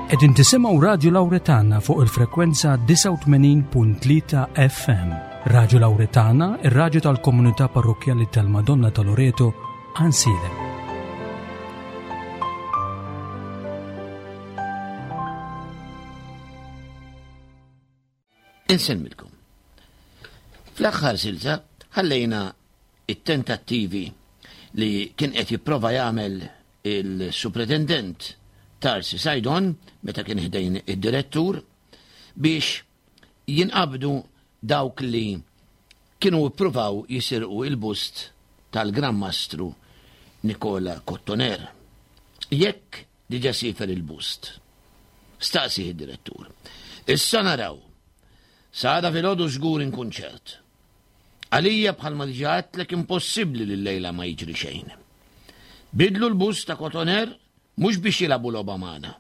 Qegħdin tisimgħu Radju Lawretana fuq il-frekwenza 89.3 FM. Radju Lawretana, ir-radju tal-komunità parrokkjali tal-Madonna ta' Loreto, Ansilem. Insemmilkom. Fl-aħħar silta ħallejna it-tentattivi li kien qed jipprova jagħmel il-Supretendent Tarsi Saydon meta kien ħdejn id-direttur biex jinqabdu dawk li kienu ppruvaw jisirqu il-bust tal-Gran Mastru Nikola Kottoner. Jekk Diġa siefer il-bust. Staqsih id-direttur. Issa naraw. Sa għada filgħodu żgur inkun ċert. Għalija bħalma diġa għedtlek impossibbli li llejla ma jiġri xejn. Bidlu l-bust ta' Cotoner mhux biex jilagħbu logħba magħna.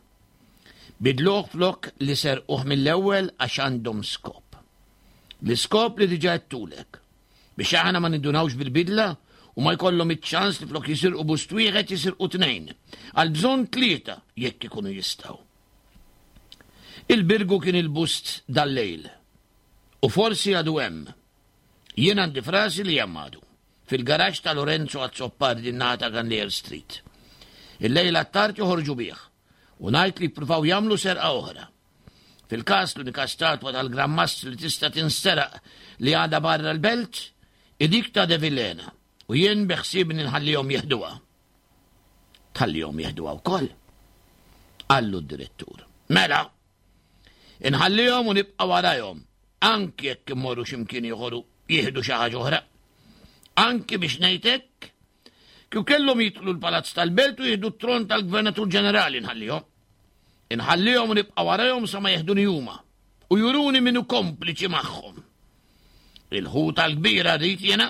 Bidluh flok li serquh mill-ewwel għax għandhom skop. L-iskop li diġa għedtulek. Biex aħna ma nindunawx bil-bidla u ma jkollhom iċ-ċans li flok jisirqu bust wieħed jisirqu tnejn. Għal bżonn tlieta jekk ikunu jistgħu. Il-Birgu kien il-bust dal-lejl. U forsi għadu hemm. Jien għandi frasi li hemm għadu. Fil-garaġġ ta' Lorenzo Azzopardi n-naħa ta' Ganlier Street. Il-lejla tard joħorġu bih u ngħid li jippruvaw jagħmlu serqa oħra. Fil-każ l-unika statwa tal-Gran Mastri li tista' tinsteraq li għadha barra l-belt hi dik ta' De Villena u jien beħsiebni nħallihom jeħduha. Tħallihom jeħduha wkoll? Qallu d-direttur. Mela, inħallihom u nibqa' warajhom, anki jekk immorru x'imkien ieħor u jieħdu xi ħaġa oħra. Anki biex ngħid hekk, kieku kellhom jidħlu l-Palazz tal-Belt u jieħdu t-tron tal-Gvernatur Ġenerali nħallihom. Inħallihom u nibqa' warajhom sa ma jeħduni huma u juruni min hu kompliċi magħhom. Il-ħuta l-kbira rrid jiena.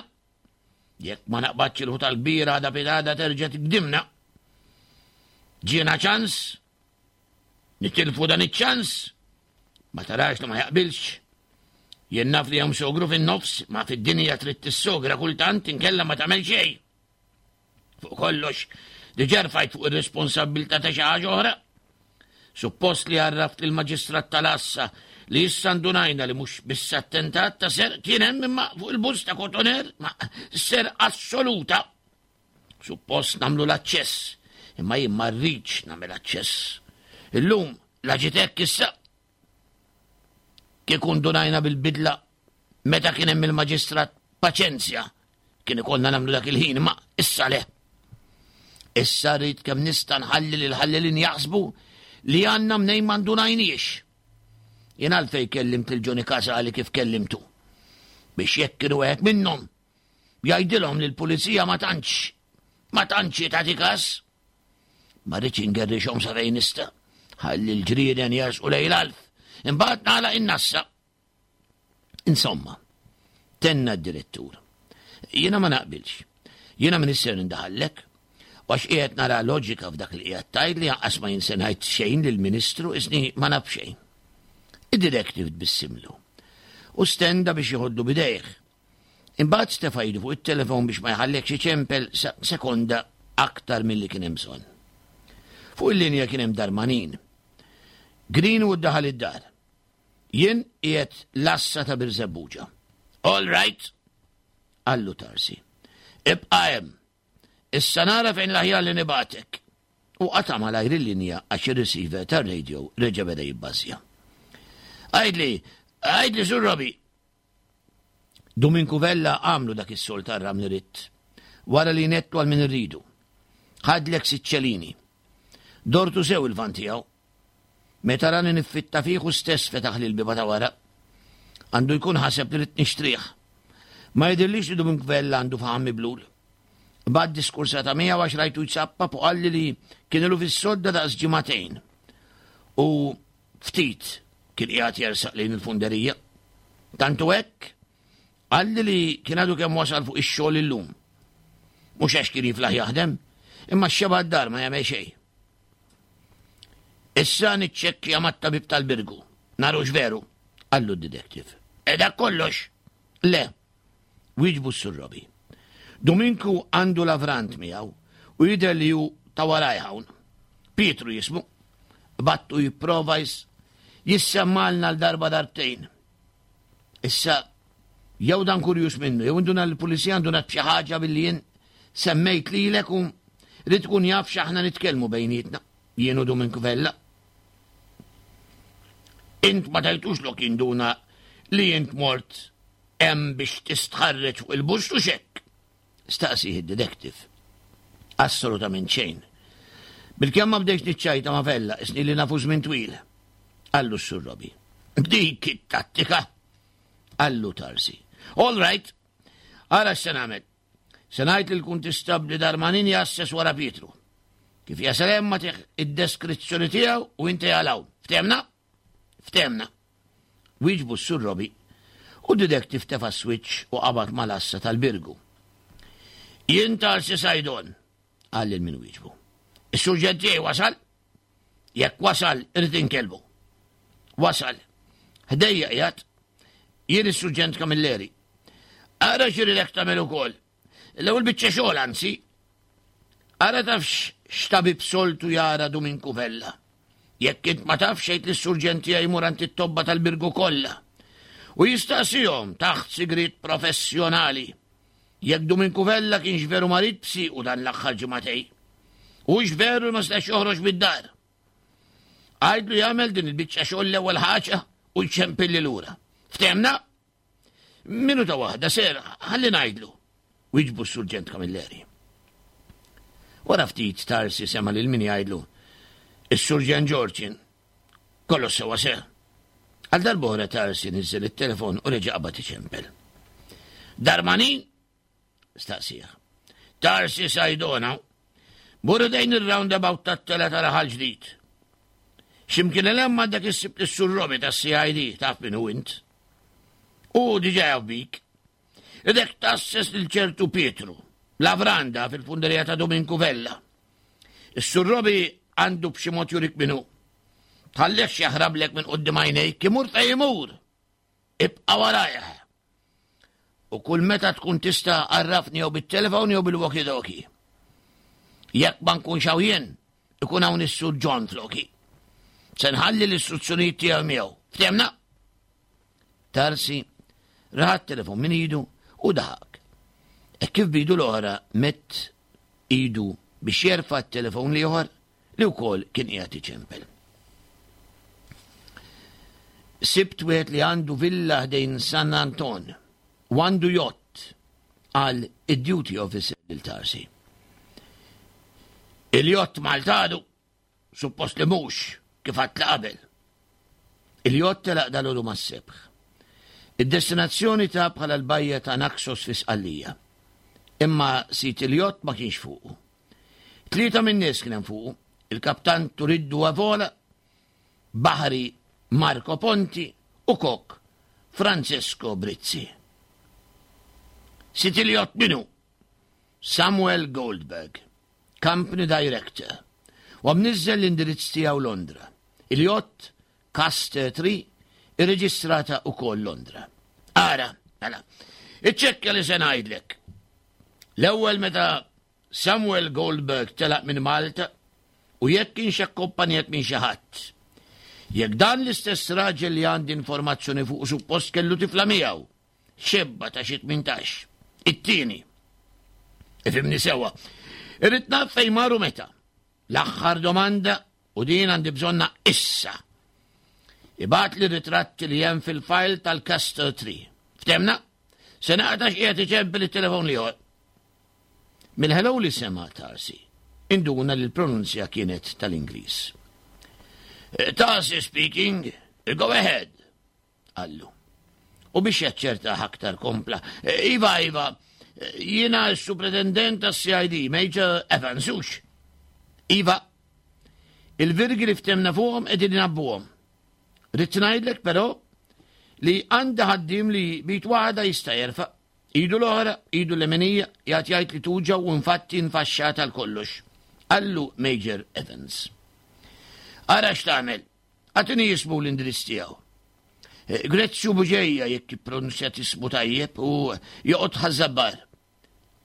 Jekk ma naqbadx il-ħuta l-kbira għada pitgħada terġa' tigdimna. Ġiena ċans, nitilfu dan iċ-ċans, ma tarax li ma jaqbilx. Jien naf li hemm sogru fin-nofs, ma fid-dinja trid tissogra kultant inkella ma tagħmel xejn. Fuq kollox, diġà rfajt fuq ir-responsabbiltà ta' xi ħaġa oħra. Suppost li għarraft lill-maġistrat tal-għassa li issa ndunajna li mhux biss attentat ta' serq kien hemm imma fuq il-bus ta' Cotoner ma serq assoluta. Suppost nagħmlu l-aċċess, imma jien ma rridx nagħmel aċċess. Illum la ġiet hekk issa. Kieku ndunajna bil-bidla meta kien hemm il-maġistrat paċenzja kien ikollna nagħmlu dak il-ħin, ma issa le. Issa rrid kemm nista' nħalli lil ħallelin jaħsbu li għandna mnejn ma ndunajniex. Jien għalfej kellimt lil Johnny Casali kif kellimtu. Biex jekk kienu wieħed minnhom jgħidilhom li l-pulizija ma tantx ma tantx tagħti każ. Ma rridx ingerrixhom sa fejn nista'. Ħalli l-ġrieden jersqu lejn l-alf. Imbagħad nagħlaq in-nassa. Insomma, tenna d-direttur. Jiena ma naqbilx. Jiena minn isser nindaħallek. U għax qiegħed nara loġika f'dak li qiegħed tgħid li anqas ma jinse ngħid xejn lill-Ministru isni ma naf xejn. Id-directive tbissimlu. U stenda biex jħoddu bidejh. Imbagħad stefa' idu fuq it-telefon biex ma jħallekx iċempel sekonda aktar milli kien hemm bżonn. Fuq il-linja kien hemm Darmanin. Greenwood daħal id-dar. Jien qiegħed l-għassa ta' Birżebbuġa. All right, qallu Tarsi. Ibqa' hemm. Issa nara fejn l-aħjar li nibgħatek. U qata' malajr il-linja għax ir-receiver tar-radio reġa' beda jibbażja. Għidli, għidli Sur Robi. Duminku Vella għamlu dak is-sol tar-ramli ritt. Wara li nettu għal min irridu. Ħadlek siċċelini. Dortu sew il-van tiegħu. Meta rani niffitta fih hu stess fetaħli l-bieba ta' wara. Għandu jkun ħaseb li ridt nixtrih. Ma jidhirlix li Dumink Vella għandu faħam miblul. Bad diskursata miegħu għax rajtu jsappap u qalli li kien ilu fis-sodda daqs ġimagħtejn. U ftit kien qiegħed jersaq lejn il-funderija. Tantu hekk qalli li kien għadu kemm wasal fuq ix-xogħol illum. Mhux għax kien jiflaħ jaħdem, imma x-xeba d-dar ma jagħmel xejn. Issa niċċekkja mat-tabib tal-Birgu. Narux veru, qallu d-detective. E dak kollox? Le, wieġbu s-Sur Robi. Dominku għandu lavrant miegħu u jidher li hu ta' waraj hawn. Pietru jismu. Battu jipprova jissemmalna l-darba darbtejn. Issa, jew dan kurjuż minnu, jew induna l-pulizija ndunat b'xi ħaġa billi jien semmejt lilek u rrid tkun jaf x'aħna nitkellmu bejnietna, jien u Duminku Vella. Int ma tajtux lok jinduna li int mort hemm biex tistħarreġ fuq il-bust u xekk. Staqsih id-detective. Assolutament xejn. Bilkemm ma bdejx niċċajta ma' Vella, isni li nafu żmien twil. Qallu s-Sur Robbie. Dik it-tattika! Qallu Tarsi. All right, ara x'se nagħmel. Se ngħid lill-kuntistabbli Darmanin jasses wara Pietru. Kif jasal hemm ma id-deskrizzjoni tiegħu u inti għalaw. Ftemna? Ftemna. Wieġbu s-Sur Robbie u d-detective tefa' switch u qabad mal-għassa tal-Birgu. Jien Tarsi Sajdon, qal lil min wieġbu. Is-surġent tiegħi wasal? Jekk wasal, irrid inkellmu. Wasal. Ħdejja qiegħed. Jien is-surġent Camilleri. Ara x'iridek tagħmel ukoll. L-ewwel biċċa xogħol anzi. Ara tafx x'tabib soltu jara Duminku Vella. Jekk int ma tafx għid lis-surġent tiegħi jmur għand it-tobba tal-Birgu kollha u jistaqsihom taħt sigriet professjonali jekk Duminku Vella kienx veru marid b'siequ dan l-aħħar ġimagħtej. Hux veru li ma setax joħroġ mid-dar. Għidlu jagħmel din il-biċċa xogħol l-ewwel ħaġa u jċempilli lura. Ftemna? Minuta waħda, ser, ħalli ngħidlu. Wieġbu s-Surġent Camilleri. Wara ftit Tarsi sema' lil min jgħidlu, Is-Surġent George Kollox sewa se. Għal darb'oħra Tarsi niżel it-telefon u reġa' qabad iċempel. Darmanin? Staqsih. Tarsi Sajdona. Mur dejn ir-roundabout tat-tela ta' raħal ġdid. X'imkien hemm għandek issib lis-Sur Robi tas-CID, taf min hu int. U diġà jaf bik. Idek tasses lil ċertu Pietru, lavranda fil-funderija ta' Dominku Vella. Is-Sur Robi għandu b'xi mod jurik min hu. Tħallihx jaħrablek minn quddiem għajnejk, imur fejn imur. Ibqa' warajh. U kull meta tkun tista' għarrafni jew bit-telefon jew bil-walkie-talkie. Jekk ma nkunx hawn jien, ikun hawn is-Sur John floki. Se nħalli l-istruzzjonijiet tiegħu miegħu. Ftemna? Tarsi raħat telefon minn idu u daħak. E kif bidu l-oħra mett idu biex jerfa' t-telefon l-ieħor li wkoll kien qiegħed iċempel. Sibt wieħed li għandu villa ħdejn San Anton u għandu jott għal id-duty officer lil Tarsi. Il-jott Maltadu Suppost li mhux, kif għadt li qabel. Il-jott telaq dalgħodu mas-sebħ. Id-destinazzjoni ta bħala l-bajja ta' Naxos fi Sqallija. Imma sid il-jott ma kienx fuqu. Tlieta min-nies kien hemm fuqu, il-kaptan Turiddu Avola, baħri Marco Ponti u kok Francesco Brizzi. Sid il-jott min hu? Samuel Goldberg. Company Director, u mniżżel l-indirizz tiegħu Londra. Il-jott Caster 3 irreġistrata wkoll Londra. Ara, mela, iċċekkja li se ngħidlek. L-ewwel meta Samuel Goldberg telaq minn Malta u jekk kienx akkompanjat minn xi ħadd. Jekk dan l-istess raġel li għandi informazzjoni fuq suppost kellu tifla miegħu, xebba ta' xi 18. It-tieni. Ifimni sewa. Irrid naf fejn maru meta. L-aħħar domanda u din għandi bżonna issa. Ibgħat li ritratti li hemm fil-file tal-Castor Tree. Ftemna? Se naqta x'qiegħed iċempel it-telefon li Mill-hello li sema Tarsi, induna li l-pronunzja kienet tal-Ingliż. Eh, Tarsi speaking, go ahead. Qallu. U biex jaċċertah aktar kompla, Iva, iva, jiena s-supretendent tas-CID, Major Evans, hux? Iva, il-virgi li ftemna fuqhom qegħdin inabbuhom. Ridt ngħidlek però li għandi ħaddiem li bit waħda jista' jerfa' idu l-oħra, idu l-leminija, jgħid jgħid li tuġa u infatti nfaxxat għal kollox. Qallu Major Evans. Ara x'tagħmel, Agħtini ismu u l-indirizz tiegħu. Eh, Grezzju Buġeja jekk ippronunzjat ismu tajjeb u joqgħod ħażabbar.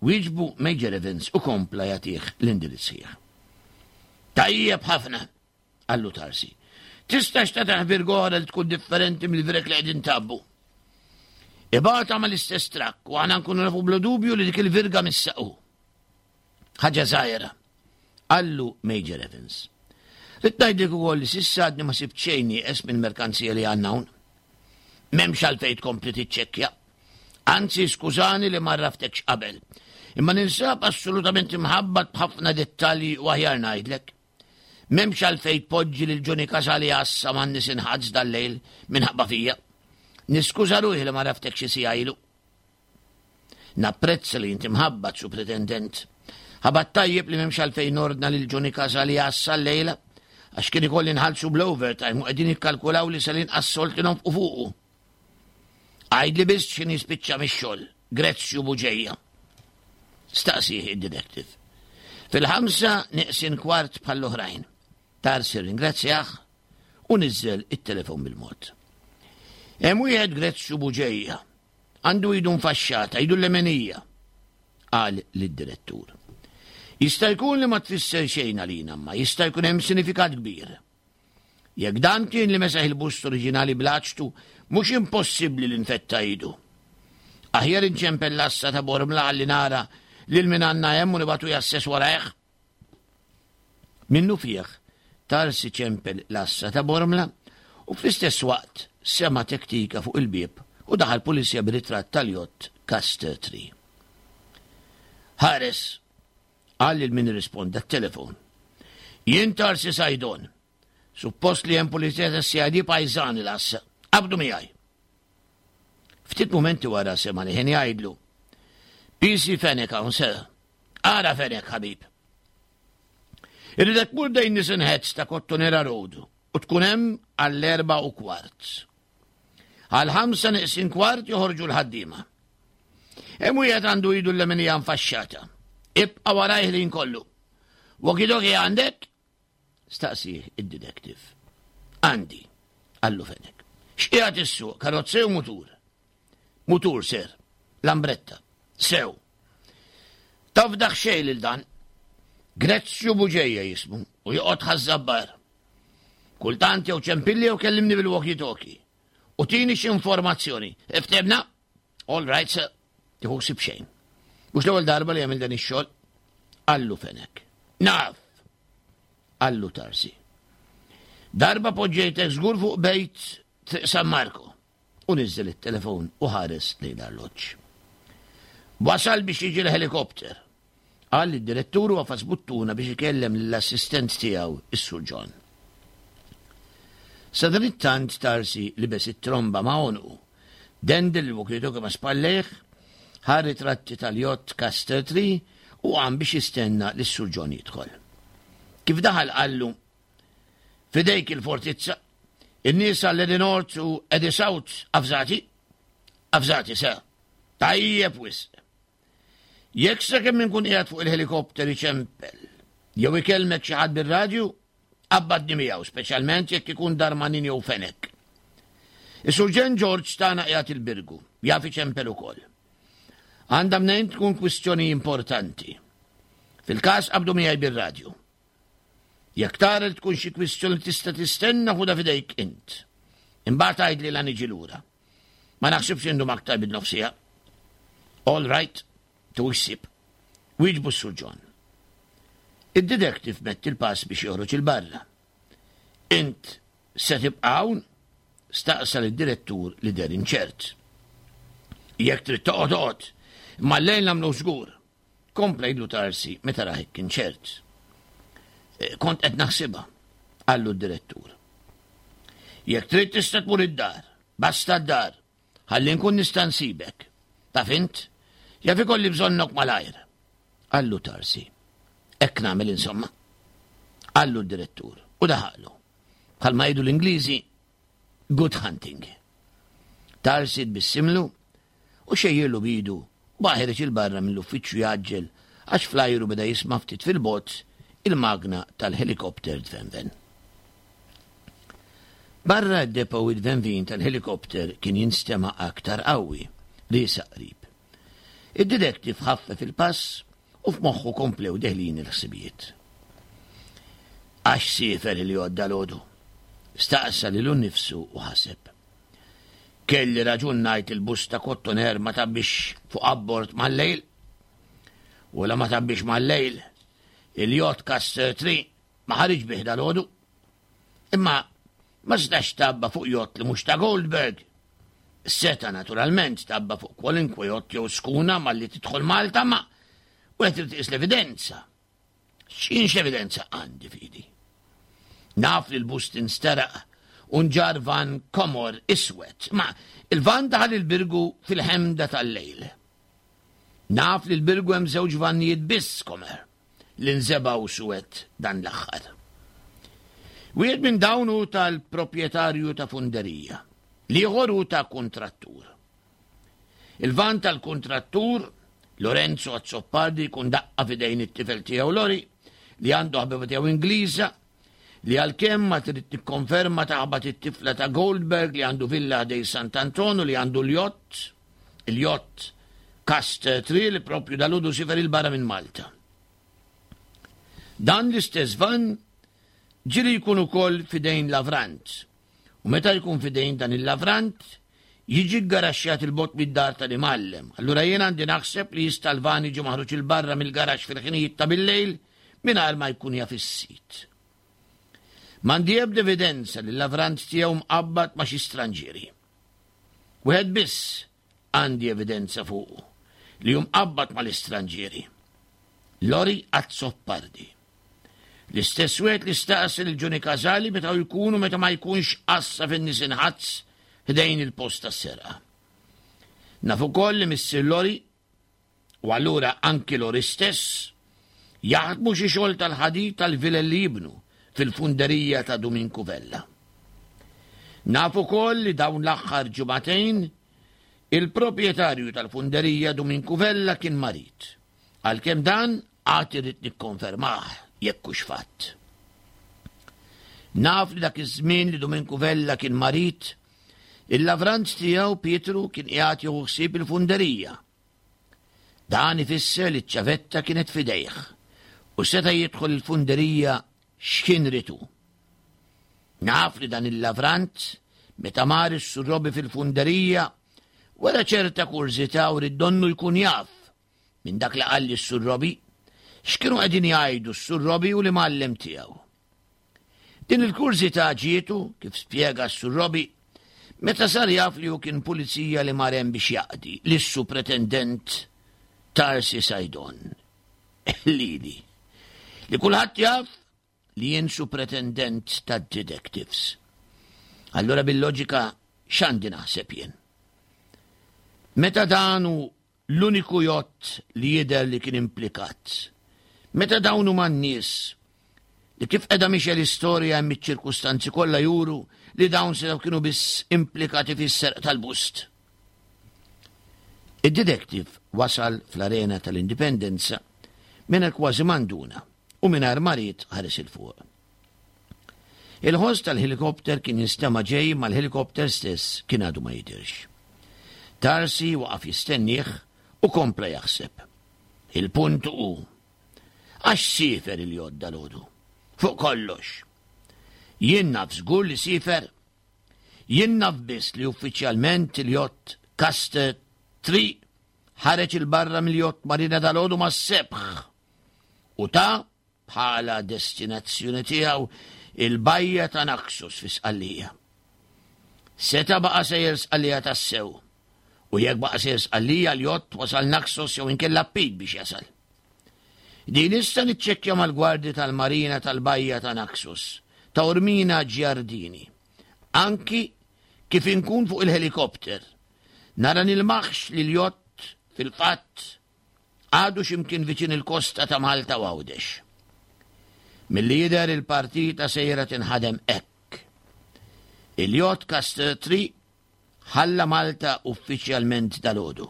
Wieġbu Major Evans u kompla jagħtih l-indirizz sħiħ. Tajjeb ħafna. Qallu Tarsi. Tistax tagħtih virga oħra li tkun differenti mill-virek li qegħdin tabbu. Ibgħatha mal-istess trakk u aħna nkunu nafu bla dubju li dik il-virga missaqu. Ħaġa żgħira. Qallu Major Evans. Rrid ngħidlek ukoll li s'issa għadni ma sibt xejn nieqes mill-merkanzija li għandna hawn. M'hemmx għalfejn tkompli tiċċekkja. Anzi, skużani li ma rraftekx qabel. Imma ninsab assolutament imħabbat b'ħafna dettalji u aħjar ngħidlek. M'hemmx għalfejn tpoġġi lil Johnny Casali għassa man-nies inħadż dal-lejl minħabba fija. Niskuża ruħi li ma raftek xi siegħa ilu. Napprezza li inti mħabbat, Supretendent. Ħabat tajjeb li m'hemmx għalfejn nordna lil Johnny Casali għassa llejla, għax kien ikolli nħallsu bl-overtime u qegħdin jikkalkulaw li se l-inqas solt li nonfqu fuqu. Għidli biss x'inhi spiċċa mix-xogħol, Grezzju Buġeja. Staqsih id-detective. Fil-ħamsa neqsin kwart bħall-oħrajn. Tarsi ringrazzjah u niżżel it-telefon bil-mod. Hemm wieħed Grezzju Buġeja Għandu idu nfaxxata, idu l-lemenija, qal lid-direttur. Jista' jkun li ma tfisser xejn għalina, ma jista' jkun hemm sinifikat kbir. Jekk dan kien li mesaħ il-bust oriġinali bl-aċtu, mhux impossibbli li nfetta idu. Aħjar inċempel l-assa ta' Bormla ħalli nara lil min għandna hemm u nibgħatu jasses warajh. Minnufih, Tarsi ċempel l-għassa ta' Bormla u fl-istess waqt sema' tektika fuq il-bieb u daħal pulizija b'ritratt tal-jott Castor Tree. Ħares, qal lil min irrisponda t-telefon. Jien Tarsi Sajdon. Suppost li hemm pulizija tas-CID pajżan il-għassa. Qabdu miegħi. Ftit mumenti wara sema' li ħin jgħidlu. PC Fenech hawn sir. Ara Fenech ħabib. Irridek tmur dejn Nissen Heads ta' Kottonera Road u tkun hemm għall-4:15. Għal ħamsa neqsin kwart joħorġu l-ħaddiema. Hemm wieħed għandu idu l-leminija nfaxxata. Ibqa' warajh li nkollu. Walkie-talkie għandek? Staqsih id-detective. Għandi, qallu Fenech. X'qiegħed issuq, karozza jew mutur? Mutur, sir. Lambretta. Sew. Tafdaħ xejn lil dan. Grezzju Buġeja jismu u joqgħod ħaż-żabbar. Kultant jew ċempilli jew kellimni bil-walkie-talkie. U tini xi informazzjoni. Iftehmna? All right, sir. Tieħu ħsieb xejn. Mhux l-ewwel darba li għamil dan ix-xogħol. Qallu Fenech. Naf. Qallu Tarsi. Darba poġġejtek żgur fuq bejt Triq San Marko. U niżżel it-telefon u ħares lejn l-arloġġ. Wasal biex jiġi l-ħelikopter. Qal lid-direttur u għafas buttuna biex ikellem lill-assistent tiegħu, is-Sur John. Sadanittant Tarsi libes it-tromba ma' għonqu, dendel il-walkie-talkie ma' spallejh, ħa ritratti tal-jott Castor Tree u qam biex jistenna lis-Sur John jidħol. Kif daħal qallu, F'idejk il-fortizza, in-nies għal Eddie North u Eddie South avżati? Avżati, sir. Tajjeb wisq. Jekk sakemm inkun qiegħed fuq il-ħelikopter iċempel jew ikellmek xi ħadd bir-radju, qabbadni miegħu, speċjalment jekk ikun Darmanin jew Fenech. Is-Surġent George tagħna qiegħed il-Birgu, jaf iċempel ukoll. Għandha mnejn tkun kwistjoni importanti. Fil-każ qabdu miegħi bir-radju. Jekk tara li tkun xi kwistjoni li tista' tistenna ħudha f'idejk int. Imbagħad għidli la niġi lura. Ma naħsibx indum aktar minn nofs siegħa. All right, tuħux ħsieb. Wieġbu s-Sur John. Id-detective mett il-pass biex joħroġ 'il barra. Int se tibqa' hawn? Staqsa lid-direttur li deher inċert. Jekk trid toqgħod oqgħod, imma llejl nagħmluh żgur. Kompla jgħidlu Tarsi meta rah hekk inċert. Eh, kont qed naħsibha, qallu d-direttur. Jekk trid tista' tmur id-dar, basta d-dar, ħalli nkun nista' nsibek. Taf int? Jaf ikolli bżonnok malajr. Qallu Tarsi. Hekk nagħmel insomma. Qallu d-direttur u daħaqlu. Bħalma jgħidu l-Ingliżi, good hunting. Tarsi tbissimlu u xejjirlu b'idu u baqa' ħiereġ 'il barra mill-uffiċċju jgħaġġel għax fl-ajru beda jisma' ftit fil-bogħod il-magna tal-ħelikopter tvenven. Barra d-depot it-tvenvin tal-ħelikopter kien jinstema' aktar qawwi, riesaq qrib. Id-detective ħaffef il-pass u f'moħħu komplew deħlin il-ħsibijiet. Għax siefer il-jott dalgħodu? Staqsa lilu nnifsu u ħaseb. Kelli raġun ngħid il-bus ta' Kottoner ma tabbix fuq abbord mal-lejl. U la ma tabbix mal-lejl, il-jott Caster 3 ma ħariġ bih dalgħodu. Imma ma setax tabba fuq jott li mhux ta' Goldberg. Seta naturalment tabba fuq kwalinkwe jott jew skuna malli tidħol Malta ma u qed irid l-evidenza. X'in x'evidenza għandi f'idi? Naf li l-bust insteraq u nġar van komor iswed, ma il-van daħal il-birgu fil-ħemda tal-lejl. Naf li l-birgu hemm żewġ vannijiet biss komer li nżebgħu suwed dan l-aħħar. Wieħed minn dawn hu tal-proprjetarju ta' funderija, l-ieħor hu ta' kuntrattur. Il-van tal-kuntrattur, Lorenzo Azzopardi jkun daqqa f'idejn it-tifel tiegħu Lori, li għandu ħabiba tiegħu Ingliża, li għalkemm ma trid tikkonferma taħbat it-tifla ta' Goldberg li għandu villa ħdej Sant'Anton u li għandu l-jott, il-jott Caster 3 li propju dal-għodu sifer il-barra minn Malta. Dan l-istess van ġieli jkun ukoll f'idejn Lavrant U meta jkun f'idejn dan il-lavrant, jiġi ggaraxxjat 'il bogħod mid-dar tal-imgħallem. Allura jien għandi naħseb li jista' l-van jiġi maħruġ 'il barra mill-garaxx fil-ħinijiet ta' billejl mingħajr ma jkun jaf is-sid. M'għandi ebda evidenza li l-lavrant tiegħu mqabbad ma' xi stranġieri. Wieħed biss għandi evidenza fuqu li hu mqabbad mal-istranġieri. Lori Azzopardi. L-istess wieħed li staqsi lil Johnny Casali meta jkun u meta ma jkunx qassa fin-nies inħazz ħdejn il-post tas-serqa. Naf ukoll li missier Lori u allura anki Lori stess jaħdmu xi xogħol tal-ħadid tal-vilel li jibnu fil-funderija ta' Duminku Vella. Naf ukoll li dawn l-aħħar ġimagħtejn il-proprjetarju tal-funderija Duminku Vella kien marid. Għalkemm dan għad irrid nikkonfermah jekk hux fatt. Naf li dak iż-żmien li Duminku Vella kien marid, il-lavrant tiegħu Pietru kien qiegħed jieħu ħsieb il-funderija. Dan ifisser li ċ-ċavetta kienet f'idejh u seta' jidħol il-funderija x'kien ritu. Naf li dan il-lavrant meta mar is-surrobi fil-funderija wara ċerta kurżità u rid donnu jkun jaf minn dak li qalli s-Sur Robbie, x'kienu qegħdin jgħidu s-Sur Robbie u l-imgħallem tiegħu. Din il-kurżità ġietu, kif spjega s-Sur Robbie, meta sar jaf li hu kien pulizija li mar hemm biex jaqdi lis-Supretendent Tarsi Saydon. Lili. Li kulħadd jaf li jien supretendent tad-detectives. Allura bil-loġika x'għandi naħseb jien? Meta dan hu l-uniku jott li jidher li kien implikat. Meta dawn huma n-nies li kif qiegħda mixja l-istorja hemm iċ-ċirkustanzi kollha juru li dawn setgħu kienu biss implikati fis-serq tal-bust. Id-detective wasal fl-arena tal-Indipendenza mingħajr kważi manduna u mingħajr ma ried ħares 'il fuq. Il-ħoss tal-ħelikopter kien jinstema' ġej imma l-ħelikopter stess kien għadu ma jidhirx. Tarsi waqaf jistennieh u kompla jaħseb. Il-punt hu, għax siefer il-jott dalgħodu? Fuq kollox. Jien naf żgur li siefer. Jien naf biss li uffiċjalment il-jott Caster 3 ħareġ 'il barra mill-jott Marina dalgħodu mas-sebħ u ta bħala destinazzjoni tiegħu il-bajja ta' Naxos fi Sqallija. Seta' baqa' sejjer Sqallija tassew, u jekk baqa' sejjer Sqallija l-jott wasal Naxos jew inkella Pit biex jasal. Din nista' niċċekkja mal-gwardji tal-marina tal-bajja ta' Naxos, ta' Ormina Giardini. Anki kif inkun fuq il-ħelikopter, nara nilmaħx li l-jott fil-fatt Għadu xi mkien viċin il-kosta ta' Malta u Għawdex. Milli jidher il-partita sejra tinħadem hekk. Il-jott Castor 3 ħalla Malta uffiċjalment dalgħodu.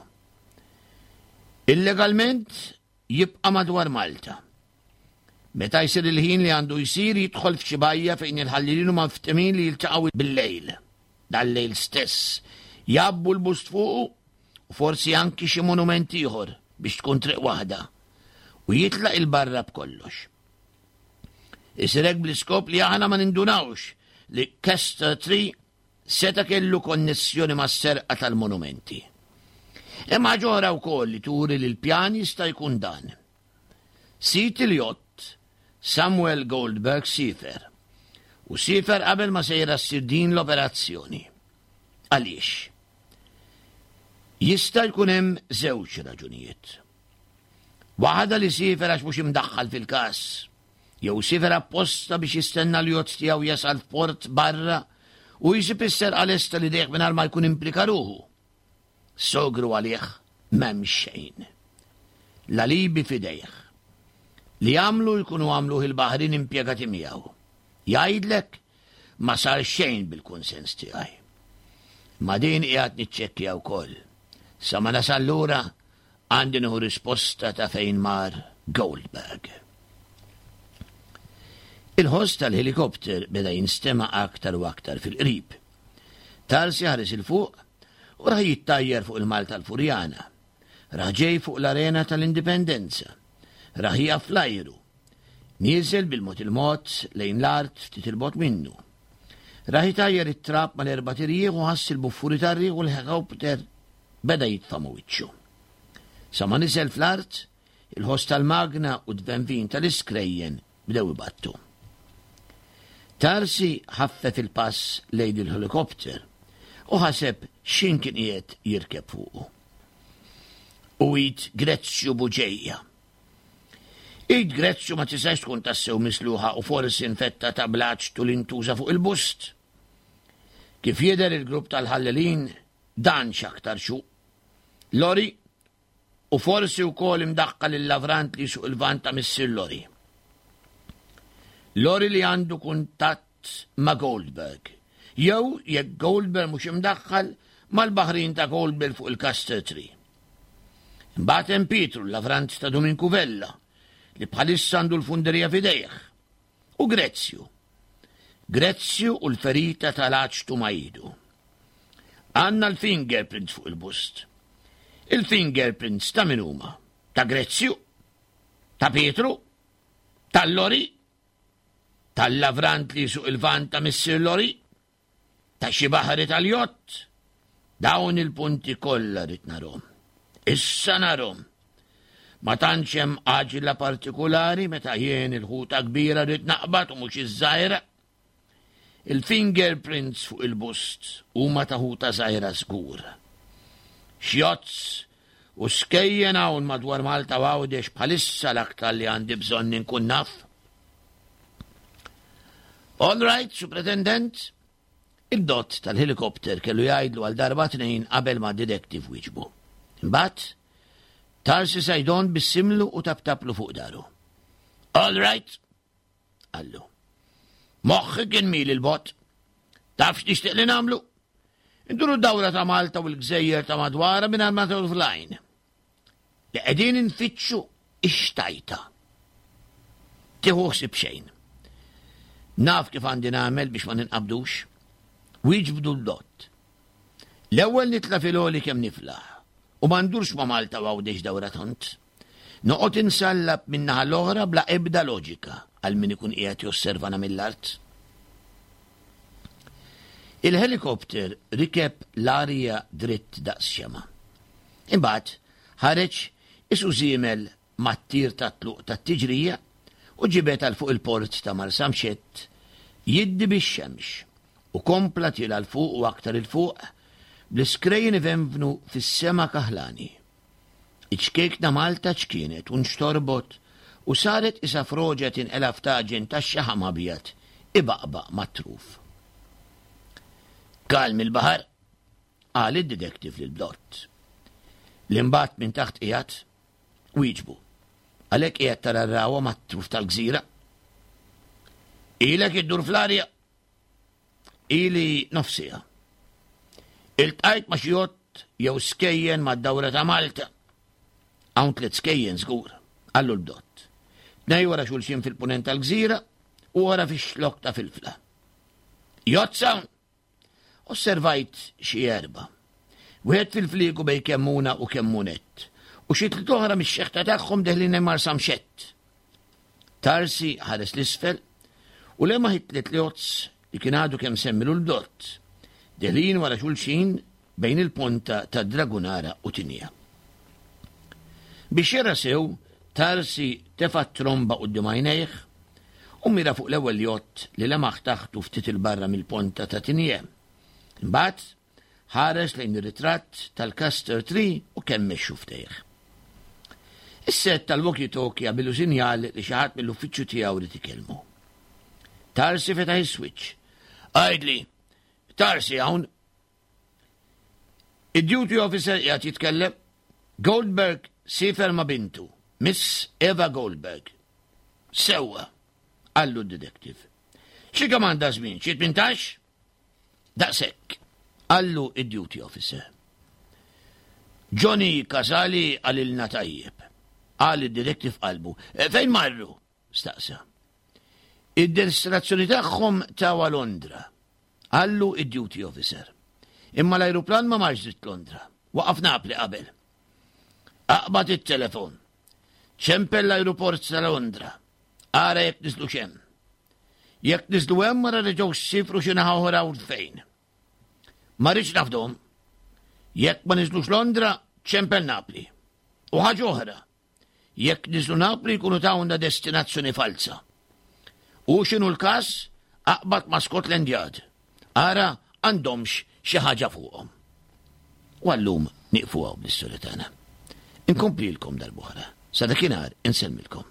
Illegalment jibqa' madwar Malta. Meta jsir il-ħin li għandu jsir jidħol f'xi bajja fejn il-ħallelin huma mftemin li jiltaqgħu bil-lejl. Dal-lejl stess jgħabbu l-bust fuqu u forsi anki xi monument ieħor biex tkun triq waħda u jitlaq 'il barra b'kollox. Isir hekk bl-iskop li aħna ma nindunawx li Kester Tree seta' kellu konnessjoni mas-serqa tal-monumenti. Hemm ħaġa oħra wkoll li turi li l-pjan jista' jkun dan. Sid il-jott, Samuel Goldberg siefer. U siefer qabel ma sejra ssir din l-operazzjoni. Għaliex? Jista' jkun hemm żewġ raġunijiet. Waħda li siefer għax mhux imdaħħal fil-każ, jew siefer apposta biex jistenna l-jott tiegħu jasal f'port barra u jsib is-serqa lesta li dejh mingħajr ma jkun implika ruħu. Sogru għalih m'hemm xejn. L-alibi f'idejh. Li għamlu jkunu għamluh il-baħrin impjegati miegħu. Jgħidlek ma sar xejn bil-kunsens tiegħi. Ma din qiegħed niċċekkja wkoll. Sa ma nasal lura għandi nieħu risposta ta' fejn mar Goldberg. Il-ħoss tal-ħelikopter beda jinstema' aktar u aktar fil-qrib. Tarsi ħares 'il fuq u rah jittajjar fuq il-Malta l-Furjana. Rah ġej fuq l-Arena tal-Indipendenza. Rah jieqaf fl-ajru. Nieżel bil-mod il-mod lejn l-art ftit 'il bogħod minnu. Rah itajjar it-trab mal-erbat irjieħ u ħass il-buffuri tar-riħ u l-ħelikopter beda jitfa' ma' wiċċu. Sa ma niżel fl-art, il-ħoss tal-magna u d-tvenvin tal-iskrejjen bdew ibattu. Tarsi ħaffef il-pass lejn il-ħelikopter u ħaseb x'ħin kien qiegħed jirkeb fuqu. U id Grezzju Buġeja. Id Grezzju ma tistax tkun tassew misluħa u forsi infettata bl-aċtu li ntuża fuq il-bust. Kif jidher il-grupp tal-ħallelin dan x'aktar xu. Lori u forsi wkoll imdaħħal il-lavrant li jsuq il-van ta' missier Lori. Lori li għandu kuntatt ma' Goldberg. Jew jekk Goldberg mhux imdaħħal mal-baħrin ta' Goldberg fuq il-Caster Tree. Imbagħad hemm Pietru, l-lavrant ta' Duminku Vella, li bħalissa għandu l-funderija f'idejh. U Grezzju. Grezzju u l-ferita tal-aċtu ma' idu. Għandna l-fingerprints fuq il-bust. Il-fingerprints ta' min huma? Ta' Grezzju? Ta' Pietru? Tal-Lori? Tal-lavrant li jsuq il-van ta' missier Lori? Ta' xi baħri tal-jott? Dawn il-punti kollha rrid narhom. Issa narhom. Ma tantx hemm għaġla partikulari meta jien il-ħuta kbira rrid naqbad u mhux iż-żgħira. Il-fingerprints fuq il-bust huma ta' ħuta żgħira żgur. Xjozz u skejjen hawn madwar Malta u Għawdex bħalissa l-aktar li għandi bżonn inkun naf. All right, Supretendent, id-dott tal-helikopter kellu jgħidlu għal darba tnejn qabel ma detective wieġbu. Imbagħad, Tarsi Sajdon bissimlu u taptaplu fuq daru. All right, qallu. Moħħi kien mil il-bot. Taf x'nixtieq li nagħmlu? Induru dawra ta' Malta u l-gżejjer ta' madwara mingħajr ma fl-għajn. Li qegħdin infittxu ix-xtajta. Tieħu ħsieb xejn. Naf kif għandi nagħmel biex ma ninqabdux. Wieġbdu l-dott. L-ewwel nitla' fil-għoli kemm niflaħ u ma ndurx ma' Malta u Għawdex dawra tont. Noqgħod insallab min-naħa l-oħra bla ebda loġika għal min ikun qiegħed josservana mill-art. Il-ħelikopter rikeb l-arja dritt daqs xema. Imbagħad ħareġ isu żiemel mat-tir tat-tluq tat-tiġrija u ġibed għal fuq il-port ta' Marsamxett jiddi bix-xemx u kompla tiela' 'l fuq u aktar 'il fuq bl-iskrejjen ivenvnu fis-sema kaħlani. Iċ-ċkejkna Malta ċkienet u nxtorbot u saret qisha froġa tinqela' f'taġen tax-xaħam abjad ibaqbaq mat-truf. Kalm il-baħar, qal id-detective lill-blott. Li mbagħad minn taħt qiegħed, wieġbu. Għalhekk qiegħed tara r-ragħwa mat-truf tal-gżira. Ilek iddur fl-arja. Ili nofsija. Iltqajt ma' xi jott jew skejjen mad-dawra ta' Malta. Hawn tliet skejjen żgur, qallu l-bdott. Tnej wara xulxin fil-punent tal-gżira u wara fix-xlokk ta' Filfla. Jott hawn? Osservajt xi erba'. Wieħed fil-fliegu bejn Kemmuna u Kemmunett u xi tliet oħra mix-xeħta tagħhom deħlin lejn Marsamxett. Tarsi ħares l-isfel. U lemaħ it-tlet ljots li kien għadu kemm semmilu l-blott, deħlin wara xulxin bejn il-ponta ta' Dragunara u Tinja. Biex jara sew, Tarsi tefa' t-tromba quddiem għajnejh u mira fuq l-ewwel jott li lemaħ taħtu ftit 'il barra mill-ponta ta' Tinje. Imbagħad ħares lejn ir-ritratt tal-Castor Tree u kemmex xufftejh. Is-set tal-walkie-talkie għamillu sinjal li xi ħadd mill-uffiċċju tiegħu ried ikellmu. Tarsi fetaħ is-switch. Għidli, Tarsi hawn. Id-duty officer qiegħed jitkellem. Goldberg siefer ma' bintu, Miss Eva Goldberg. Sewwa, qallu d-detective. Xi kemm għandha żmien, xi 18? Daqshekk, qallu id-duty officer. Johnny Casali qalilna tajjeb, qal id-detective f'qalbu. E, fejn marru? staqsa. Id-destinazzjoni tagħhom tawa Londra, qallu id-duty officer. Imma l-ajruplan ma marx dritt Londra, waqaf Napli qabel. Aqbad it-telefon. Ċempel l-ajruport ta' Londra. Ara jekk niżlux hemm. Jekk niżlu hemm ara reġgħux sifru xi naħa oħra u fejn. Ma rridx nafdhom. Jekk ma niżlux Londra, ċempel Napli. U ħaġa oħra, jekk niżlu Napli jkunu tawna destinazzjoni falza. U x'inhu l-każ, aqbad ma' Scotland Yard. Ara għandhomx xi ħaġa fuqhom. U għallum nieqfu hawn bl-istorja tagħna. Inkomplilkom darb'oħra. Sa dakinhar insellmilkom.